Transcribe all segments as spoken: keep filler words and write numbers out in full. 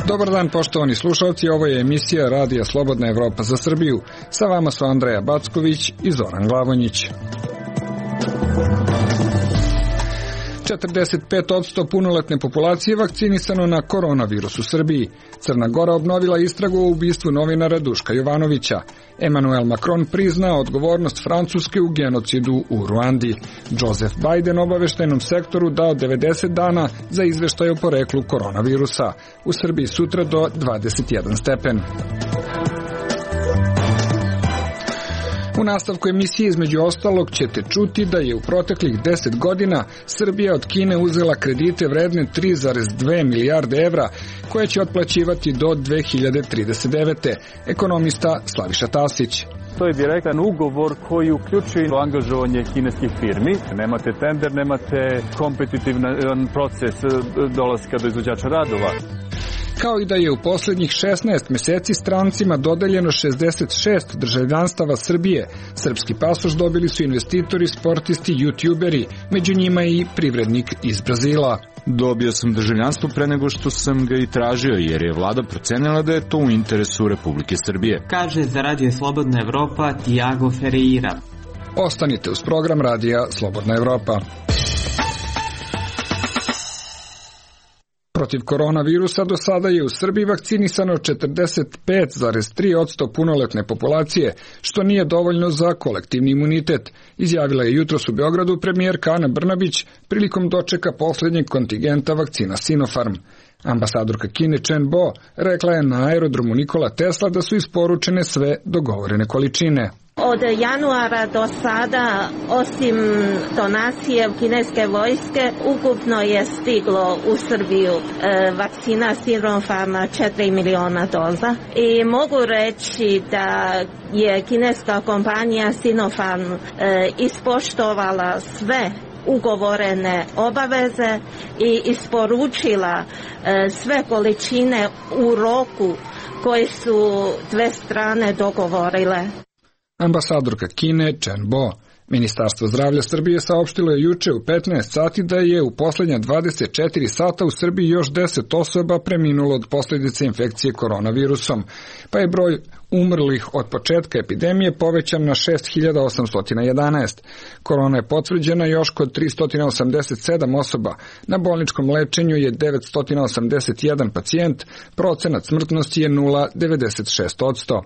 Dobar dan, poštovani slušalci, ovo je emisija Radija Slobodna Evropa za Srbiju. Sa vama su Andreja Backović i Zoran Glavonjić. četrdeset pet posto punoletne populacije vakcinisano na koronavirus u Srbiji. Crna Gora obnovila istragu o ubistvu novinara Duška Jovanovića. Emmanuel Macron priznao odgovornost Francuske u genocidu u Ruandi. Joseph Biden obaveštajnom sektoru dao devedeset dana za izveštaj o poreklu koronavirusa. U Srbiji sutra do dvadeset jedan stepen. U nastavku emisije između ostalog ćete čuti da je u proteklih deset godina Srbija od Kine uzela kredite vredne tri zarez dve milijarde evra koje će otplaćivati do dve hiljade trideset devete. Ekonomista Slaviša Tasić. To je direktan ugovor koji uključuje angažovanje kineskih firmi. Nemate tender, nemate kompetitivan proces dolaska do izvođača radova. Kao i da je u posljednjih šesnaest meseci strancima dodeljeno šezdeset šest državljanstava Srbije. Srpski pasoš dobili su investitori, sportisti, youtuberi, među njima i privrednik iz Brazila. Dobio sam državljanstvo pre nego što sam ga i tražio, jer je vlada procenila da je to u interesu Republike Srbije. Kaže za Radio Slobodna Evropa Tiago Ferreira. Ostanite uz program Radija Slobodna Evropa. Protiv koronavirusa do sada je u Srbiji vakcinisano četrdeset pet zarez tri posto punoletne populacije, što nije dovoljno za kolektivni imunitet, izjavila je jutros u Beogradu premijerka Ana Brnabić prilikom dočeka posljednjeg kontingenta vakcina Sinopharm. Ambasadorka Kine Chen Bo rekla je na aerodromu Nikola Tesla da su isporučene sve dogovorene količine. Od januara do sada, osim donacije kineske vojske, ukupno je stiglo u Srbiju e, vakcina Sinopharma četiri miliona doza. I mogu reći da je kineska kompanija Sinopharm e, ispoštovala sve ugovorene obaveze i isporučila e, sve količine u roku koje su dve strane dogovorile. Ambasadorka Kine Chen Bo. Ministarstvo zdravlja Srbije saopštilo je juče u petnaest sati da je u posljednja dvadeset četiri sata u Srbiji još deset osoba preminulo od posljedice infekcije koronavirusom, pa je broj umrlih od početka epidemije povećan na šest hiljada osamsto jedanaest. Korona je potvrđena još kod tristo osamdeset sedam osoba. Na bolničkom lečenju je devetsto osamdeset jedan pacijent, procenat smrtnosti je nula zarez devedeset šest posto.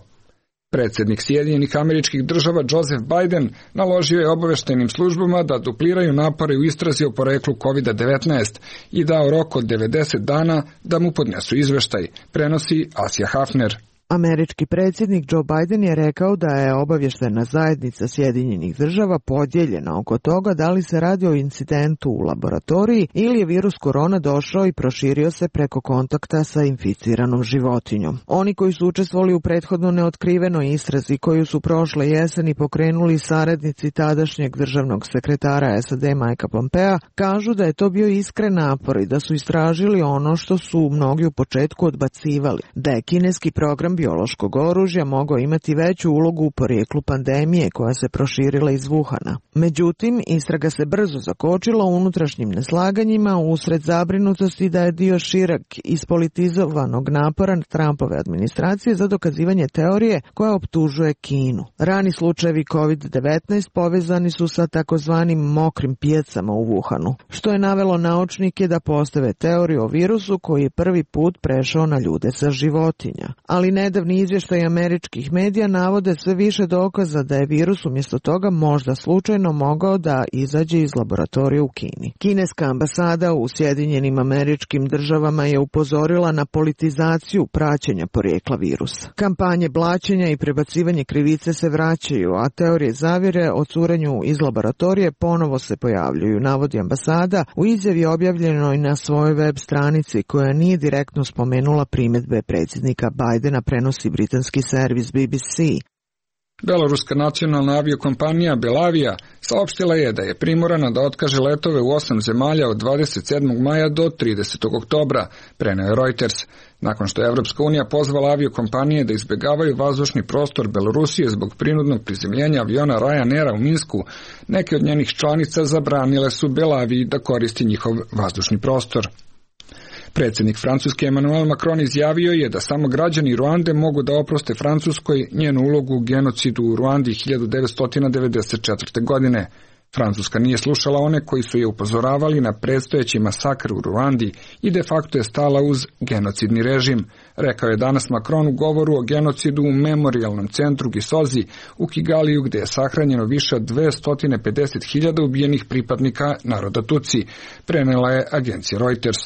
Predsjednik Sjedinjenih Američkih Država Joseph Biden naložio je obaveštajnim službama da dupliraju napore u istrazi o poreklu kovid devetnaest i dao rok od devedeset dana da mu podnesu izveštaj, prenosi Asija Hafner. Američki predsjednik Joe Biden je rekao da je obavještajna zajednica Sjedinjenih Država podijeljena oko toga da li se radi o incidentu u laboratoriji ili je virus korona došao i proširio se preko kontakta sa inficiranom životinjom. Oni koji su učestvovali u prethodno neotkrivenoj istrazi koju su prošle jeseni pokrenuli saradnici tadašnjeg državnog sekretara S A D Mikea Pompea kažu da je to bio iskren napor i da su istražili ono što su mnogi u početku odbacivali, da je kineski program biološkog oružja mogao imati veću ulogu u porijeklu pandemije koja se proširila iz Wuhana. Međutim, istraga se brzo zakočila unutrašnjim neslaganjima usred zabrinutosti da je dio šireg ispolitizovanog napora Trumpove administracije za dokazivanje teorije koja optužuje Kinu. Rani slučajevi kovid devetnaest povezani su sa takozvanim mokrim pijacama u Wuhanu, što je navelo naučnike da postave teoriju o virusu koji je prvi put prešao na ljude sa životinja. Ali ne Nedavni izvještaj američkih medija navode sve više dokaza da je virus umjesto toga možda slučajno mogao da izađe iz laboratorija u Kini. Kineska ambasada u Sjedinjenim Američkim Državama je upozorila na politizaciju praćenja porijekla virusa. Kampanje blaćenja i prebacivanje krivice se vraćaju, a teorije zavjere o curenju iz laboratorije ponovo se pojavljuju, navodi ambasada u izjavi objavljenoj na svojoj web stranici koja nije direktno spomenula primjedbe predsjednika Bidena, prenosi britanski servis B B C. Beloruska nacionalna aviokompanija Belavija saopštila je da je primorana da otkaže letove u osam zemalja od dvadeset sedmog maja do tridesetog oktobra, preneo je Reuters. Nakon što je Evropska unija pozvala aviokompanije da izbegavaju vazdušni prostor Belorusije zbog prinudnog prizemljenja aviona Ryanaira u Minsku, neke od njenih članica zabranile su Belaviji da koristi njihov vazdušni prostor. Predsjednik Francuske Emmanuel Macron izjavio je da samo građani Ruande mogu da oproste Francuskoj njenu ulogu u genocidu u Ruandi hiljadu devetsto devedeset četvrte. godine. Francuska nije slušala one koji su je upozoravali na predstojeći masakr u Ruandi i de facto je stala uz genocidni režim, rekao je danas Macron u govoru o genocidu u memorijalnom centru Gisozi u Kigaliju, gdje je sahranjeno više od dvesta pedeset hiljada ubijenih pripadnika naroda Tutsi, prenela je agencija Reuters.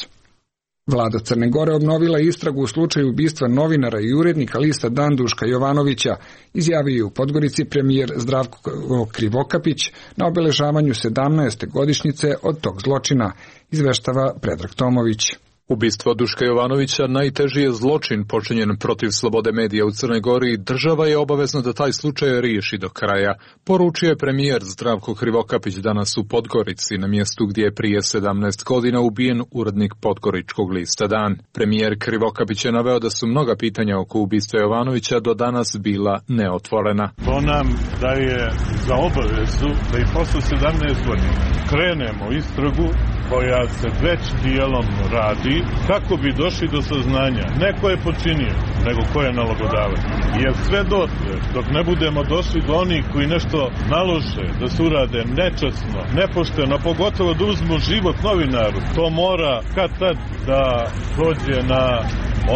Vlada Crne Gore obnovila istragu u slučaju ubistva novinara i urednika lista Dan Duška Jovanovića, izjavio je u Podgorici premijer Zdravko Krivokapić na obeležavanju sedamnaeste godišnjice od tog zločina, izveštava Predrag Tomović. Ubistvo Duška Jovanovića najteži je zločin počinjen protiv slobode medija u Crnoj Gori i država je obavezna da taj slučaj riješi do kraja, poručio je premijer Zdravko Krivokapić danas u Podgorici, na mjestu gdje je prije sedamnaest godina ubijen urednik podgoričkog lista Dan. Premijer Krivokapić je naveo da su mnoga pitanja oko ubistva Jovanovića do danas bila neotvorena. To nam daje za obavezu da i posle sedamnaest godina krenemo istragu koja se već dijelom radi, kako bi došli do saznanja ne ko je počinio, nego ko je nalogodavac. Jer sve dotle, dok ne budemo došli do onih koji nešto nalože da se urade nečasno, nepošteno, pogotovo da uzmu život novinaru, to mora kad tad da dođe na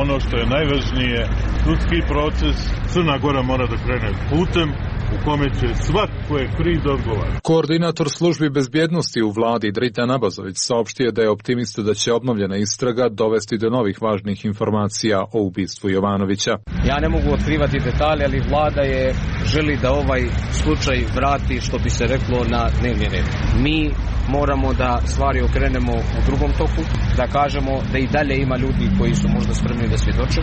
ono što je najvažnije, sudski proces. Crna Gora mora da krene putem u kome će svak ko je kriv da odgovara. Koordinator službi bezbjednosti u vladi Dritan Abazović saopštio da je optimista da će obnovljena istraga dovesti do novih važnih informacija o ubistvu Jovanovića. Ja ne mogu otkrivati detalje, ali vlada je želi da ovaj slučaj vrati, što bi se reklo, na dnevni red. Mi moramo da stvari okrenemo u drugom toku, da kažemo da i dalje ima ljudi koji su možda spremni da svjedoče,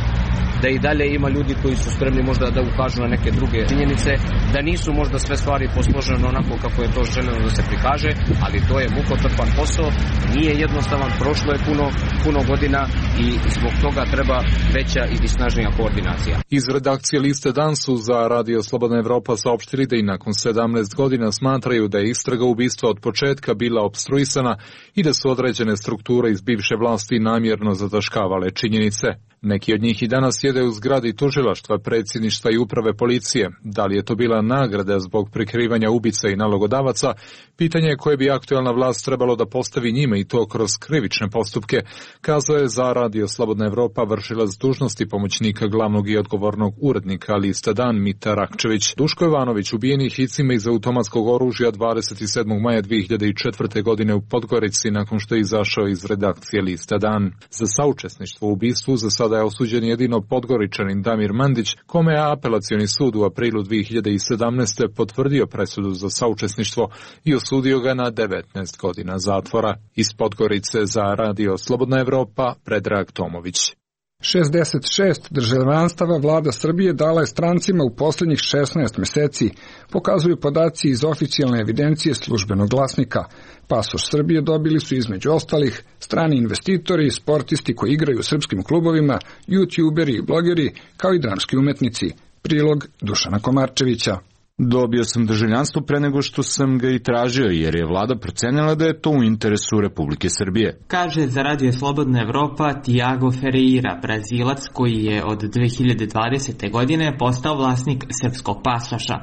da i dalje ima ljudi koji su spremni možda da ukažu na neke druge činjenice, da nisu možda sve stvari posložene onako kako je to željeno da se prikaže, ali to je mukotrpan posao, nije jednostavan, prošlo je puno, puno godina i zbog toga treba veća i snažnija koordinacija. Iz redakcije liste Dan su za Radio Slobodna Evropa saopštili da i nakon sedamnaest godina smatraju da je istraga ubistva od početka bila opstruisana i da su određene strukture iz bivše vlasti namjerno zataškavale činjenice. Neki od njih i danas sjede u zgradi tužilaštva, predsjedništva i uprave policije. Da li je to bila nagrada zbog prikrivanja ubica i nalogodavaca? Pitanje je koje bi aktualna vlast trebalo da postavi njima i to kroz krivične postupke, kazao je za Radio Slobodna Evropa vršilac dužnosti pomoćnika glavnog i odgovornog urednika lista Dan Mita Rakčević. Duško Jovanović ubijen je hicima iz automatskog oružja dvadeset sedmog maja dve hiljade četvrte. godine u Podgorici nakon što je izašao iz redakcije lista Dan. Za saučesništvo u ubistvu za sada je osuđen jedino Podgoričanin Damir Mandić, kome je apelacioni sud u aprilu dve hiljade sedamnaeste. potvrdio presudu za saučesništvo i osudio ga na devetnaest godina zatvora. Iz Podgorice za Radio Slobodna Evropa, Predrag Tomović. šezdeset šest državljanstava vlada Srbije dala je strancima u posljednjih šesnaest mjeseci, pokazuju podaci iz oficijalne evidencije Službenog glasnika. Pasoš Srbije dobili su između ostalih strani investitori, sportisti koji igraju u srpskim klubovima, youtuberi i blogeri, kao i dramski umetnici. Prilog Dušana Komarčevića. Dobio sam državljanstvo pre nego što sam ga i tražio, jer je vlada procenila da je to u interesu Republike Srbije. Kaže za Radio Slobodna Evropa Tiago Ferreira, Brazilac koji je od dve hiljade dvadesete. godine postao vlasnik srpskog pasoša.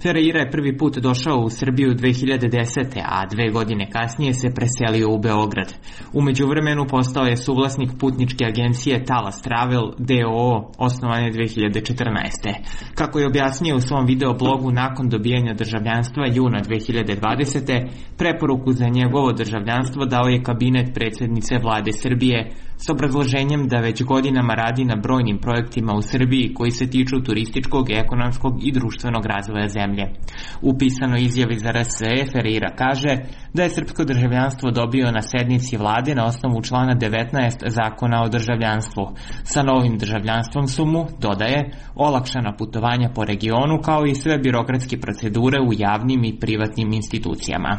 Ferreira je prvi put došao u Srbiju dve hiljade desete. a dve godine kasnije se preselio u Beograd. U međuvremenu postao je suvlasnik putničke agencije Talas Travel d o o, osnovane dve hiljade četrnaeste. Kako je objasnio u svom videoblogu nakon dobijanja državljanstva juna dve hiljade dvadesete. preporuku za njegovo državljanstvo dao je kabinet predsjednice vlade Srbije s obrazloženjem da već godinama radi na brojnim projektima u Srbiji koji se tiču turističkog, ekonomskog i društvenog razvoja zemlje. U pisanoj izjavi za R S E Ferreira kaže da je srpsko državljanstvo dobio na sednici vlade na osnovu člana devetnaest Zakona o državljanstvu. Sa novim državljanstvom su mu, dodaje, olakšana putovanja po regionu kao i sve birokratske procedure u javnim i privatnim institucijama.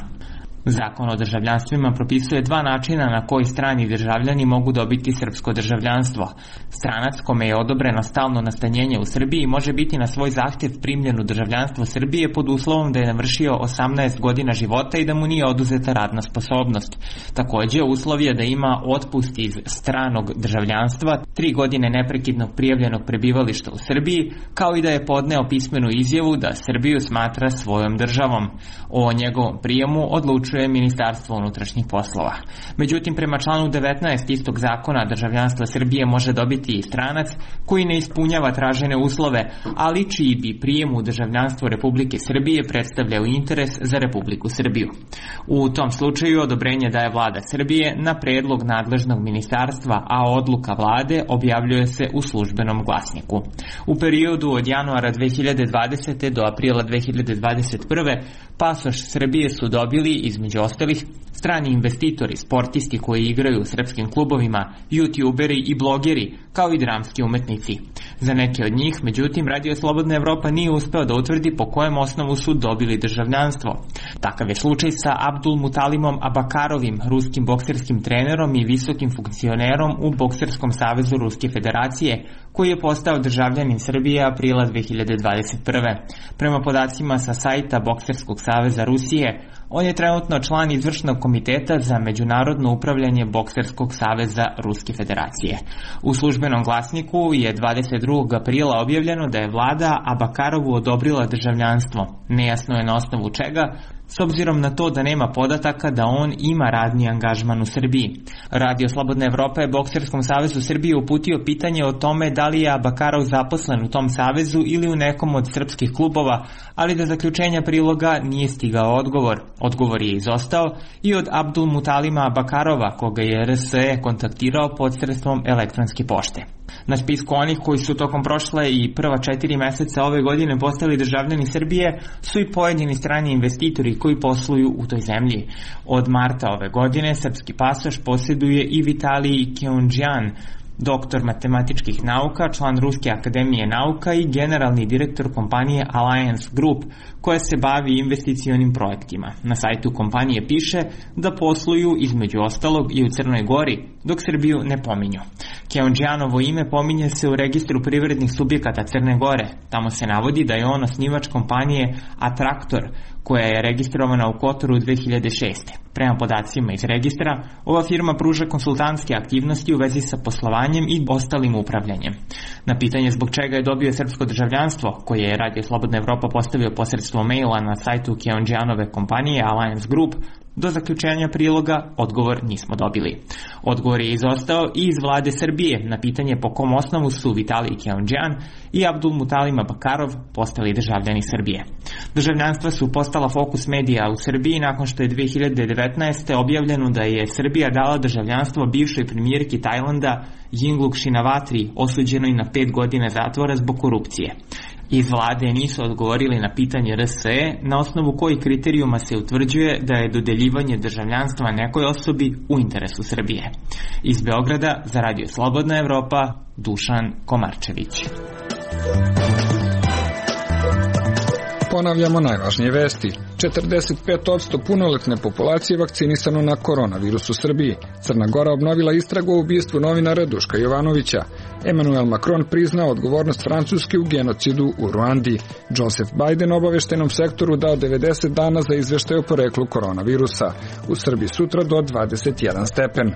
Zakon o državljanstvima propisuje dva načina na koji strani državljani mogu dobiti srpsko državljanstvo. Stranac kome je odobreno stalno nastanjenje u Srbiji može biti na svoj zahtjev primljen u državljanstvo Srbije pod uslovom da je navršio osamnaest godina života i da mu nije oduzeta radna sposobnost. Takođe, uslov je da ima otpust iz stranog državljanstva, tri godine neprekidnog prijavljenog prebivališta u Srbiji, kao i da je podneo pismenu izjavu da Srbiju smatra svojom državom. O njegovom prijemu odlučuje Ministarstvo unutrašnjih poslova. Međutim, prema članu devetnaest istog zakona, državljanstvo Srbije može dobiti i stranac koji ne ispunjava tražene uslove, ali čiji bi prijem u državljanstvo Republike Srbije predstavljao interes za Republiku Srbiju. U tom slučaju odobrenje daje vlada Srbije na predlog nadležnog ministarstva, a odluka vlade objavljuje se u službenom glasniku. U periodu od januara dve hiljade dvadesete. do aprila dve hiljade dvadeset prve. pasoš Srbije su dobili iz Među ostalih, strani investitori, sportisti koji igraju u srpskim klubovima, youtuberi i blogeri, kao i dramski umetnici. Za neke od njih, međutim, Radio Slobodna Evropa nije uspeo da utvrdi po kojem osnovu su dobili državljanstvo. Takav je slučaj sa Abdul Mutalimom Abakarovim, ruskim bokserskim trenerom i visokim funkcionerom u Bokserskom savezu Ruske federacije, koji je postao državljanin Srbije aprila dve hiljade dvadeset prve. Prema podacima sa sajta Bokserskog saveza Rusije, on je trenutno član izvršnog komiteta za međunarodno upravljanje Bokserskog saveza Ruske federacije. U službenom glasniku je dvadeset drugog aprila objavljeno da je vlada Abakarovu odobrila državljanstvo. Nejasno je na osnovu čega, s obzirom na to da nema podataka da on ima radni angažman u Srbiji. Radio Slobodna Evropa je Bokserskom savezu Srbije uputio pitanje o tome da li je Abakarov zaposlen u tom savezu ili u nekom od srpskih klubova, ali da zaključenja priloga nije stigao odgovor. Odgovor je izostao i od Abdul Mutalima Abakarova, koga je R S E kontaktirao posredstvom elektronske pošte. Na spisku onih koji su tokom prošle i prva četiri meseca ove godine postali državljani Srbije su i pojedini strani investitori koji posluju u toj zemlji. Od marta ove godine srpski pasoš posjeduje i Vitalij Keundžjan, doktor matematičkih nauka, član Ruske akademije nauka i generalni direktor kompanije Alliance Group, koja se bavi investicionim projektima. Na sajtu kompanije piše da posluju između ostalog i u Crnoj Gori, dok Srbiju ne pominju. Keundžjanovo ime pominje se u registru privrednih subjekata Crne Gore. Tamo se navodi da je on osnivač kompanije Atraktor, koja je registrovana u Kotoru dve hiljade šeste. Prema podacima iz registra, ova firma pruža konsultantske aktivnosti u vezi sa poslovanjem i ostalim upravljanjem. Na pitanje zbog čega je dobio srpsko državljanstvo, koje je Radio Slobodna Evropa postavio posredstvom maila na sajtu Keundžjanove kompanije Alliance Group, do zaključenja priloga odgovor nismo dobili. Odgovor je izostao i iz vlade Srbije na pitanje po kom osnovu su Vitalij Keundžjan i Abdul Mutalim Abakarov postali državljani Srbije. Državljanstva su postala fokus medija u Srbiji nakon što je dve hiljade devetnaeste. objavljeno da je Srbija dala državljanstvo bivšoj premijerki Tajlanda Yingluck Shinawatri, osuđenoj na pet godina zatvora zbog korupcije. Iz vlade nisu odgovorili na pitanje R S E na osnovu kojih kriterijuma se utvrđuje da je dodeljivanje državljanstva nekoj osobi u interesu Srbije. Iz Beograda za Radio Slobodna Evropa, Dušan Komarčević. Ponavljamo najvažnije vesti. četrdeset pet posto punoletne populacije vakcinisano na koronavirus u Srbiji. Crna Gora obnovila istragu o ubistvu novinara Duška Jovanovića. Emmanuel Macron priznao odgovornost Francuske u genocidu u Ruandi. Joseph Biden obaveštenom sektoru dao devedeset dana za izveštaj o poreklu koronavirusa. U Srbiji sutra do dvadeset jedan stepen.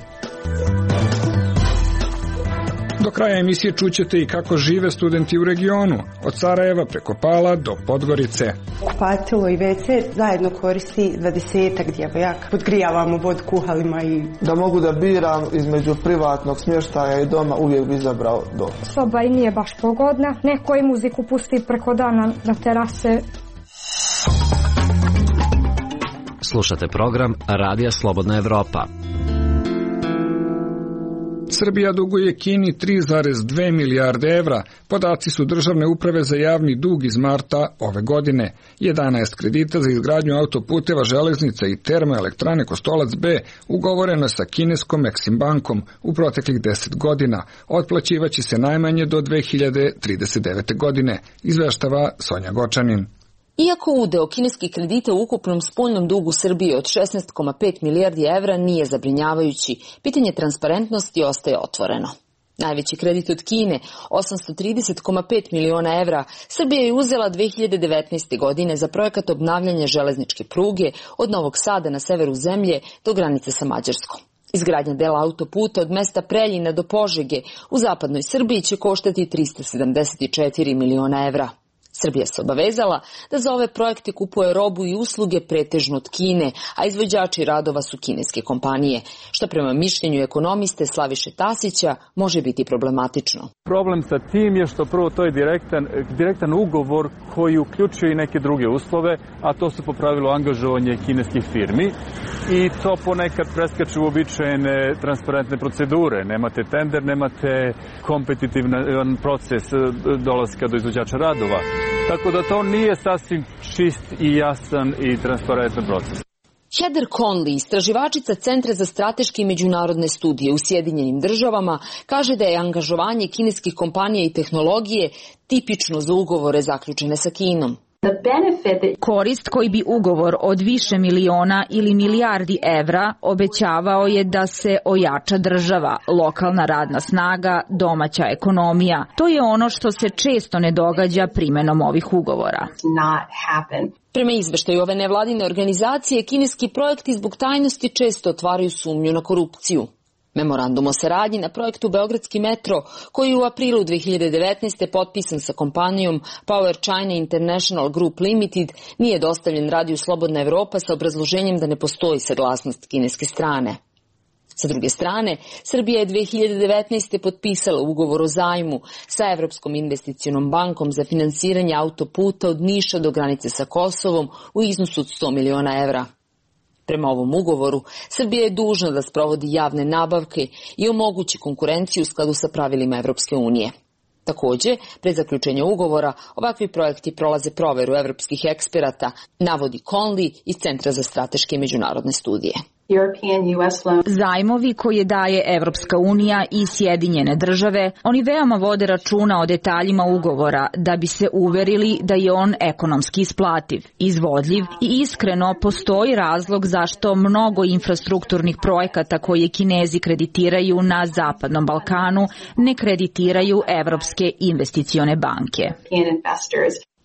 Do kraja emisije čućete i kako žive studenti u regionu, od Sarajeva preko Pala do Podgorice. Kupatilo i ve ce zajedno koristi dvadesetak djevojaka. Podgrijavamo vodu kuhalima i... Da mogu da biram između privatnog smještaja i doma, uvijek bi izabrao dom. Soba i nije baš pogodna, neko i muziku pusti preko dana na terase. Slušate program Radija Slobodna Evropa. Srbija duguje Kini tri zarez dve milijarde evra. Podaci su Državne uprave za javni dug iz marta ove godine. jedanaest kredita za izgradnju autoputeva, železnica i termoelektrane Kostolac B ugovoreno sa kineskom Exim bankom u proteklih deset godina. Otplaćivaće se najmanje do dve hiljade trideset devete. godine, izveštava Sonja Gočanin. Iako udeo kineskih kredita u ukupnom spoljnom dugu Srbije od šesnaest zarez pet milijardi evra nije zabrinjavajući, pitanje transparentnosti ostaje otvoreno. Najveći kredit od Kine, osamsto trideset zarez pet miliona evra, Srbija je uzela dve hiljade devetnaeste. godine za projekat obnavljanja železničke pruge od Novog Sada na severu zemlje do granice sa Mađarskom. Izgradnja dela autoputa od mesta Preljina do Požege u zapadnoj Srbiji će koštati trista sedamdeset četiri miliona evra. Srbija se obavezala da za ove projekte kupuje robu i usluge pretežno od Kine, a izvođači radova su kineske kompanije, što prema mišljenju ekonomiste Slaviše Tasića može biti problematično. Problem sa tim je što prvo to je direktan, direktan ugovor koji uključuje i neke druge uslove, a to su po pravilu angažovanje kineskih firmi i to ponekad preskače uobičajene transparentne procedure. Nemate tender, nemate kompetitivan proces dolaska do izvođača radova. Tako da to nije sasvim čist i jasan i transparentan proces. Heather Conley, istraživačica Centra za strateške i međunarodne studije u Sjedinjenim državama, kaže da je angažovanje kineskih kompanija i tehnologije tipično za ugovore zaključene sa Kinom. Korist koji bi ugovor od više miliona ili milijardi evra obećavao je da se ojača država, lokalna radna snaga, domaća ekonomija. To je ono što se često ne događa primenom ovih ugovora. Prema izveštaju ove nevladine organizacije, kineski projekti zbog tajnosti često otvaraju sumnju na korupciju. Memorandum o saradnji na projektu Beogradski metro, koji je u aprilu dve hiljade devetnaeste. potpisan sa kompanijom Power China International Group Limited, nije dostavljen Radiju Slobodna Evropa sa obrazloženjem da ne postoji saglasnost kineske strane. Sa druge strane, Srbija je dve hiljade devetnaeste. potpisala ugovor o zajmu sa Evropskom investicionom bankom za finansiranje autoputa od Niša do granice sa Kosovom u iznosu od sto miliona evra. Prema ovom ugovoru, Srbija je dužna da sprovodi javne nabavke i omogući konkurenciju u skladu sa pravilima Evropske unije. Takođe, pre zaključenja ugovora, ovakvi projekti prolaze proveru evropskih eksperata, navodi Conley iz Centra za strateške i međunarodne studije. Zajmovi koje daje Evropska unija i Sjedinjene države, oni veoma vode računa o detaljima ugovora da bi se uverili da je on ekonomski isplativ, izvodljiv i iskreno postoji razlog zašto mnogo infrastrukturnih projekata koje Kinezi kreditiraju na Zapadnom Balkanu ne kreditiraju Evropske investicione banke.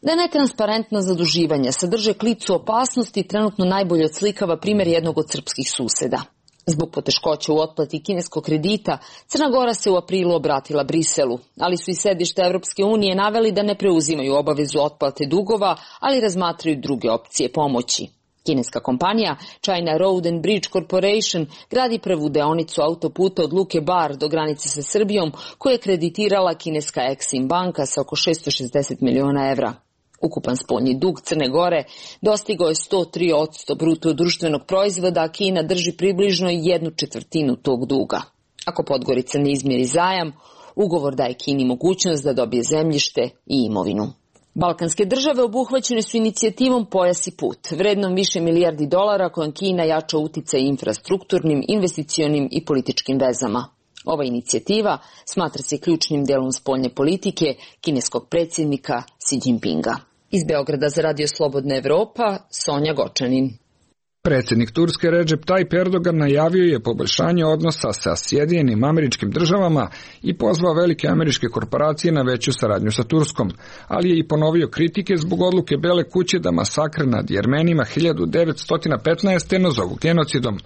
Da netransparentna zaduživanja sadrže klicu opasnosti trenutno najbolje odslikava primjer jednog od srpskih suseda. Zbog poteškoća u otplati kineskog kredita, Crna Gora se u aprilu obratila Briselu, ali su i sedište Evropske unije naveli da ne preuzimaju obavezu otplate dugova, ali razmatraju druge opcije pomoći. Kineska kompanija China Road and Bridge Corporation gradi prvu deonicu autoputa od Luke Bar do granice sa Srbijom, koju je kreditirala kineska Exim banka sa oko šessto šezdeset miliona evra. Ukupan spoljni dug Crne Gore dostigao je sto tri posto bruto društvenog proizvoda, a Kina drži približno jednu četvrtinu tog duga. Ako Podgorica ne izmiri zajam, ugovor daje Kini mogućnost da dobije zemljište i imovinu. Balkanske države obuhvaćene su inicijativom Pojas i put, vrednom više milijardi dolara kojom Kina jača uticaj infrastrukturnim, investicionim i političkim vezama. Ova inicijativa smatra se ključnim delom spoljne politike kineskog predsjednika Xi Jinpinga. Iz Beograda za Radio Slobodna Evropa, Sonja Gočanin. Predsjednik Turske Recep Tayyip Erdogan najavio je poboljšanje odnosa sa Sjedinjenim Američkim Državama i pozvao velike američke korporacije na veću saradnju sa Turskom, ali je i ponovio kritike zbog odluke Bele kuće da masakr nad Jermenima hiljadu devetsto petnaeste. nazovu genocidom.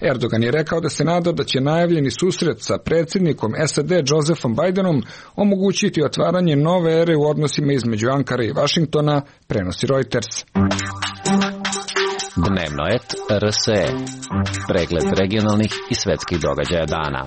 Erdogan je rekao da se nada da će najavljeni susret sa predsjednikom S A D Josephom Bidenom omogućiti otvaranje nove ere u odnosima između Ankare i Vašingtona, prenosi Reuters. Dnevno et R S E. Pregled regionalnih i svetskih događaja dana.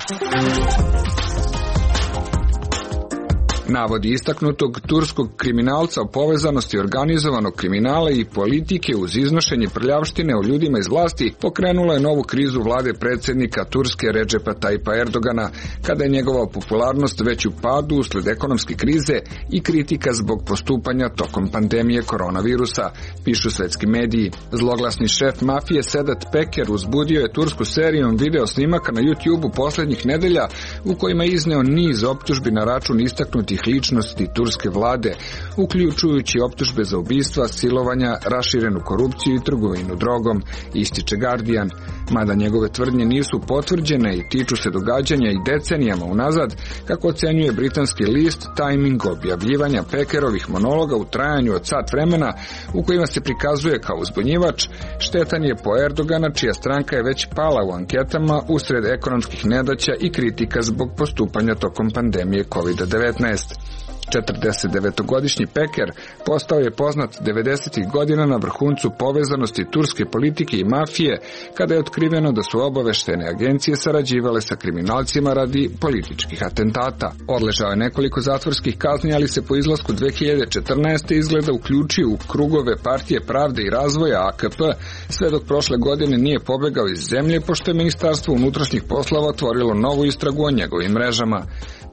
Navodi istaknutog turskog kriminalca o povezanosti organizovanog kriminala i politike uz iznošenje prljavštine o ljudima iz vlasti pokrenula je novu krizu vlade predsjednika Turske Redžepa Tajpa Erdogana, kada je njegova popularnost već u padu usled ekonomske krize i kritika zbog postupanja tokom pandemije koronavirusa, pišu svetski mediji. Zloglasni šef mafije Sedat Peker uzbudio je Tursku serijom video snimaka na YouTube-u posljednjih nedelja u kojima je izneo niz optužbi na račun istaknutih ličnosti turske vlade, uključujući optužbe za ubistva, silovanja, raširenu korupciju i trgovinu drogom, ističe Guardian. Mada njegove tvrdnje nisu potvrđene i tiču se događanja i decenijama unazad, kako ocenjuje britanski list, tajming objavljivanja Pekerovih monologa u trajanju od sat vremena u kojima se prikazuje kao uzbunjivač, štetan je po Erdogana, čija stranka je već pala u anketama usred ekonomskih nedaća i kritika zbog postupanja tokom pandemije kovid devetnaest. četrdesetdevetogodišnji Peker postao je poznat devedesetih godina na vrhuncu povezanosti turske politike i mafije, kada je otkriveno da su obaveštene agencije sarađivale sa kriminalcima radi političkih atentata. Odležao je nekoliko zatvorskih kazni, ali se po izlasku dve hiljade četrnaeste. izgleda uključio u krugove Partije pravde i razvoja A K P, sve dok prošle godine nije pobegao iz zemlje, pošto je Ministarstvo unutrašnjih poslova otvorilo novu istragu o njegovim mrežama.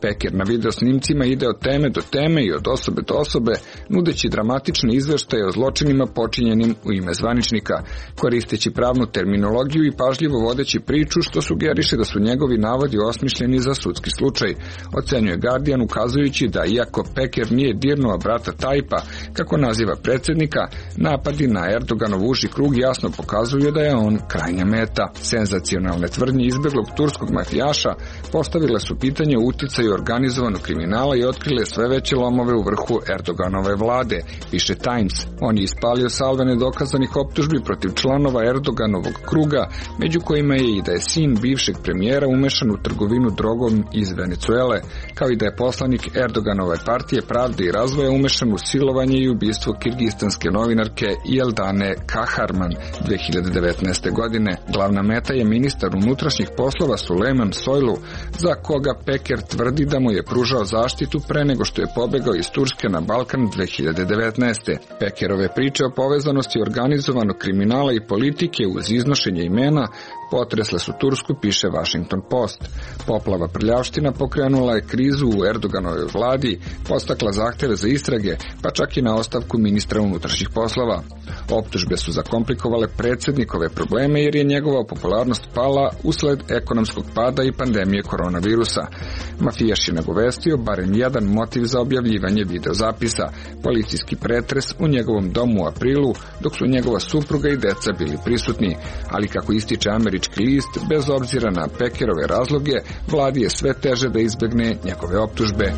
Peker na video snimcima ide od teme do teme i od osobe do osobe, nudeći dramatične izveštaje o zločinima počinjenim u ime zvaničnika, koristeći pravnu terminologiju i pažljivo vodeći priču, što sugeriše da su njegovi navodi osmišljeni za sudski slučaj, ocenjuje Guardian, ukazujući da iako Peker nije dirnuo brata Tajpa, kako naziva predsjednika, napadi na Erdoganov uži krug jasno pokazuju da je on krajnja meta. Senzacionalne tvrdnje izbeglog turskog mafijaša postavile su pitanje o uticaju organizovanog kriminala i otkrile sve veće lomove u vrhu Erdoganove vlade, piše Times. On je ispalio salve nedokazanih optužbi protiv članova Erdoganovog kruga, među kojima je i da je sin bivšeg premijera umešan u trgovinu drogom iz Venecuele, kao i da je poslanik Erdoganove partije pravde i razvoja umešan u silovanje i ubistvo kirgistanske novinarke Jeldane Kaharman dve hiljade devetnaeste. godine. Glavna meta je ministar unutrašnjih poslova Sulejman Soylu, za koga Peker tvrdi da mu je pružao zaštitu pre nego što je pobegao iz Turske na Balkan dve hiljade devetnaeste. Pekerove priče o povezanosti organizovanog kriminala i politike uz iznošenje imena potresle su Tursku, piše Washington Post. Poplava prljavština pokrenula je krizu u Erdoganovoj vladi, postakla zahteve za istrage, pa čak i na ostavku ministra unutrašnjih poslova. Optužbe su zakomplikovale predsjednikove probleme jer je njegova popularnost pala usled ekonomskog pada i pandemije koronavirusa. Mafijaš je nagovestio barem jedan motiv za objavljivanje videozapisa, policijski pretres u njegovom domu u aprilu, dok su njegova supruga i deca bili prisutni, ali kako ističe američki list, bez obzira na Pekerove razloge, vladi je sve teže da izbegne njegove optužbe.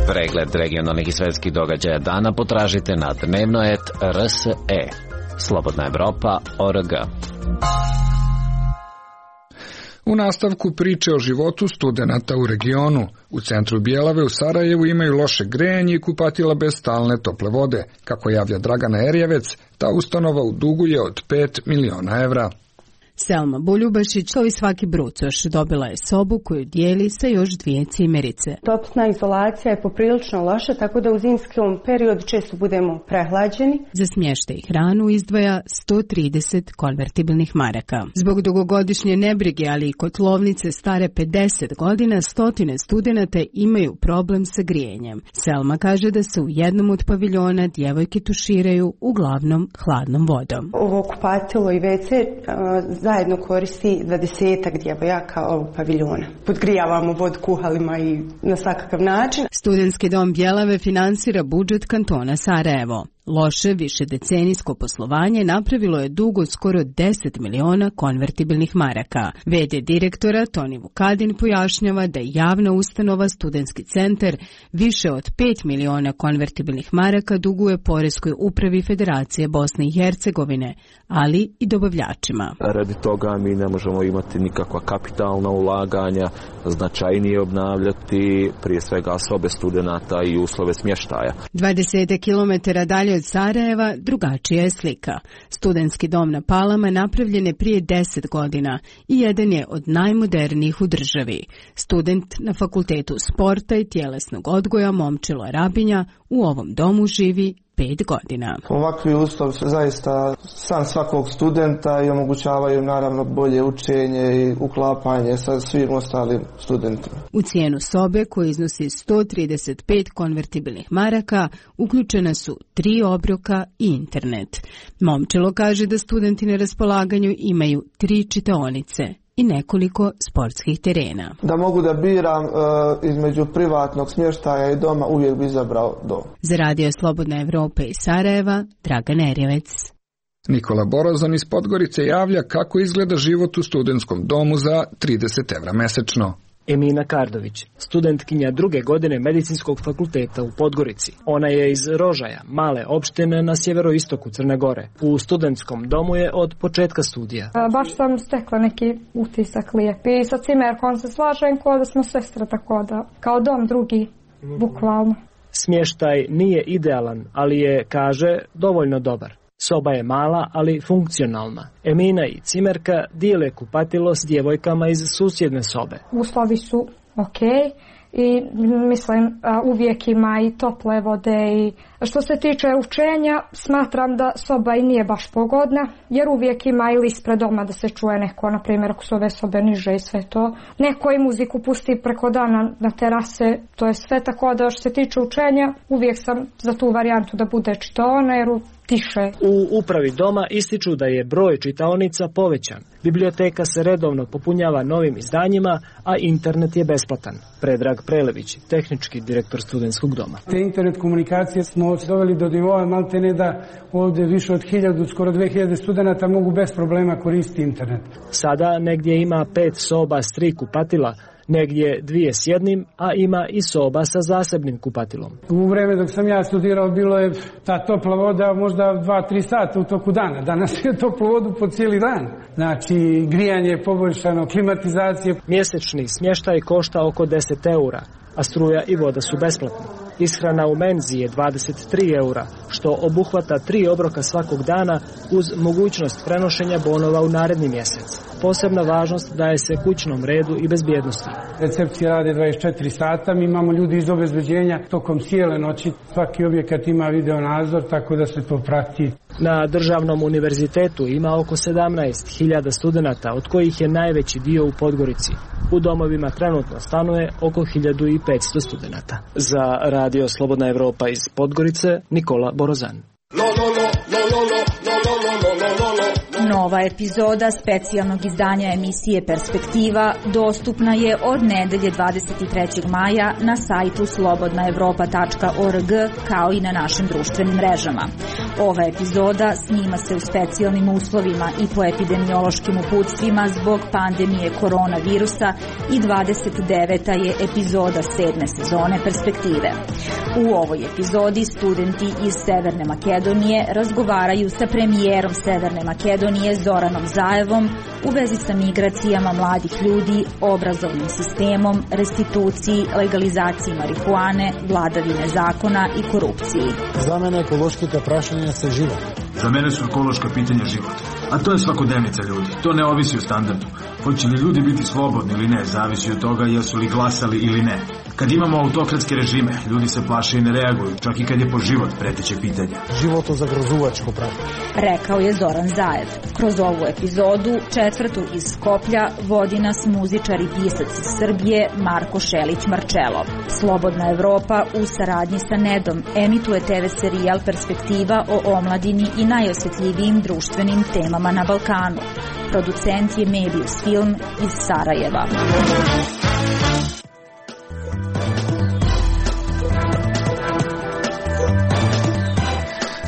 Pregled regionalnih i svetskih događaja dana potražite na dnevno et r s e. Slobodna Evropa точка org. U nastavku priče o životu studenata u regionu. U centru Bjelave u Sarajevu imaju loše grejanje i kupatila bez stalne tople vode. Kako javlja Dragana Erjevec, ta ustanova u dugu je od pet miliona evra. Selma Buljubašić, kao i svaki brucoš, dobila je sobu koju dijeli sa još dvije cimerice. Topna izolacija je poprilično loša, tako da u zimskom periodu često budemo prehlađeni. Za smještaj i hranu izdvaja sto trideset konvertibilnih maraka. Zbog dugogodišnje nebrige, ali i kotlovnice stare pedeset godina, stotine studenata imaju problem sa grijenjem. Selma kaže da se u jednom od paviljona djevojke tuširaju uglavnom hladnom vodom. Ovo kupatilo i ve ce zajedno koristi dvadesetak djevojaka ovog paviljona. Podgrijavamo vodu kuhalima i na svakakav način. Studentski dom Bjelave finansira budžet kantona Sarajevo. Loše višedecenijsko poslovanje napravilo je dug od skoro deset miliona konvertibilnih maraka. ve de direktora Toni Vukadin pojašnjava da je javna ustanova Studentski centar više od pet miliona konvertibilnih maraka duguje Poreskoj upravi Federacije Bosne i Hercegovine, ali i dobavljačima. Radi toga mi ne možemo imati nikakva kapitalna ulaganja, značajnije obnavljati prije svega sobe studenata i uslove smještaja. dvadeset kilometara dalje Pored Sarajeva drugačija je slika. Studentski dom na Palama napravljen je prije deset godina i jedan je od najmodernijih u državi. Student na Fakultetu sporta i tjelesnog odgoja Momčilo Rabinja u ovom domu živi pet godina. Ovakvi uslovi su zaista san svakog studenta i omogućavaju naravno bolje učenje i uklapanje sa svim ostalim studentima. U cijenu sobe, koja iznosi sto trideset pet konvertibilnih maraka, uključena su tri obroka i internet. Momčilo kaže da studenti na raspolaganju imaju tri čitaonice i nekoliko sportskih terena. Da mogu da biram e, između privatnog smještaja i doma, uvijek bi izabrao dom. Za Radio Slobodna Evropa iz Sarajeva, Dragan Erjevec. Nikola Borozan iz Podgorice javlja kako izgleda život u studentskom domu za trideset evra mesečno. Emina Kardović, studentkinja druge godine Medicinskog fakulteta u Podgorici. Ona je iz Rožaja, male opštine na sjeveroistoku Crne Gore. U studentskom domu je od početka studija. Baš sam stekla neki utisak lijepi i sa cimerkom se slažem kao da smo sestre, tako da kao dom drugi, bukvalno. Smještaj nije idealan, ali je, kaže, dovoljno dobar. Soba je mala, ali funkcionalna. Emina i cimerka dijele kupatilo s djevojkama iz susjedne sobe. Uslovi su ok i mislim uvijek ima i tople vode i što se tiče učenja smatram da soba i nije baš pogodna jer uvijek ima ili ispred doma da se čuje neko, na primjer ako su ove sobe niže i sve to. Neko i muziku pusti preko dana na terase, to je sve, tako da što se tiče učenja uvijek sam za tu varijantu da bude čitaona jer tiše. U upravi doma ističu da je broj čitaonica povećan. Biblioteka se redovno popunjava novim izdanjima, a internet je besplatan. Predrag Prelević, tehnički direktor studentskog doma. Te internet komunikacije smo doveli do nivoa maltene da ovdje više od hiljadu, skoro dve hiljade studenta mogu bez problema koristiti internet. Sada negdje ima pet soba s tri kupatila, negdje dvije s jednim, a ima i soba sa zasebnim kupatilom. U vreme dok sam ja studirao bilo je ta topla voda možda dva tri sata u toku dana. Danas je toplu vodu po cijeli dan. Znači grijanje je poboljšano, klimatizacija. Mjesečni smještaj košta oko deset eura, a struja i voda su besplatni. Ishrana u menzi je dvadeset tri eura, što obuhvata tri obroka svakog dana uz mogućnost prenošenja bonova u naredni mjesec. Posebna važnost daje se kućnom redu i bezbjednosti. Recepcije rade dvadeset četiri sata, mi imamo ljudi iz obezbeđenja tokom cijele noći. Svaki objekat ima video nadzor, tako da se to prati. Na državnom univerzitetu ima oko sedamnaest hiljada studenata, od kojih je najveći dio u Podgorici. U domovima trenutno stanuje oko hiljadu petsto studenata. Za Radio Slobodna Evropa iz Podgorice, Nikola Borozan. Nova epizoda specijalnog izdanja emisije Perspektiva dostupna je od nedelje dvadeset trećeg maja na sajtu slobodna evropa tačka org kao i na našim društvenim mrežama. Ova epizoda snima se u specijalnim uslovima i po epidemiološkim uputstvima zbog pandemije koronavirusa i dvadeset deveta je epizoda sedme sezone Perspektive. U ovoj epizodi studenti iz Severne Makedonije razgovaraju sa premijerom Severne Makedonije Zoranom Zaevom u vezi sa migracijama mladih ljudi, obrazovnim sistemom, restituciji, legalizaciji marihuane, vladavine zakona i korupciji. Za mene ekološkite prašenja se život. Za mene su ekološka pitanja život. A to je svakodnevnica ljudi. To ne ovisi o standardu. Hoće li ljudi biti slobodni ili ne, zavisi od toga jesu li glasali ili ne. Kad imamo autokratske režime, ljudi se plaše i ne reaguju, čak i kad je po život preteće pitanja. Životo zagrozuvačko pravo. Rekao je Zoran Zaev. Kroz ovu epizodu, četvrtu iz Skoplja, vodi nas muzičar i pisac iz Srbije Marko Šelić-Marčelo. Slobodna Evropa u saradnji sa Nedom emituje te ve serijal Perspektiva o omladini i najosjetljivijim društvenim temama na Balkanu. Producent je Mebius Film iz Sarajeva.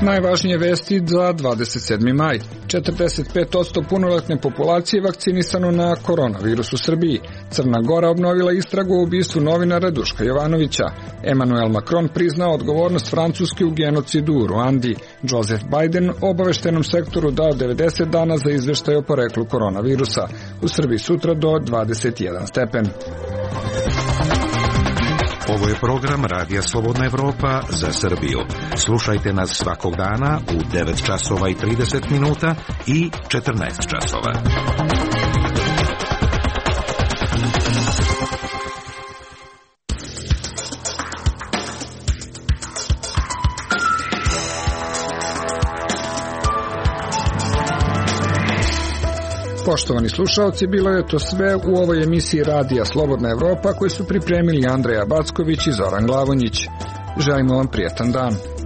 Najvažnije vesti za dvadeset sedmi maj. četrdeset pet posto punoletne populacije vakcinisano na koronavirus u Srbiji. Crna Gora obnovila istragu o ubistvu novinara Duška Jovanovića. Emmanuel Macron priznao odgovornost Francuske u genocidu u Ruandi. Joseph Biden obaveštenom sektoru dao devedeset dana za izveštaj o poreklu koronavirusa. U Srbiji sutra do dvadeset jedan stepen. Ovo je program Radija Slobodna Evropa za Srbiju. Slušajte nas svakog dana u devet časova i trideset minuta i četrnaest časova. Poštovani slušalci, bilo je to sve u ovoj emisiji Radija Slobodna Evropa koju su pripremili Andreja Backović i Zoran Glavonjić. Želimo vam prijetan dan.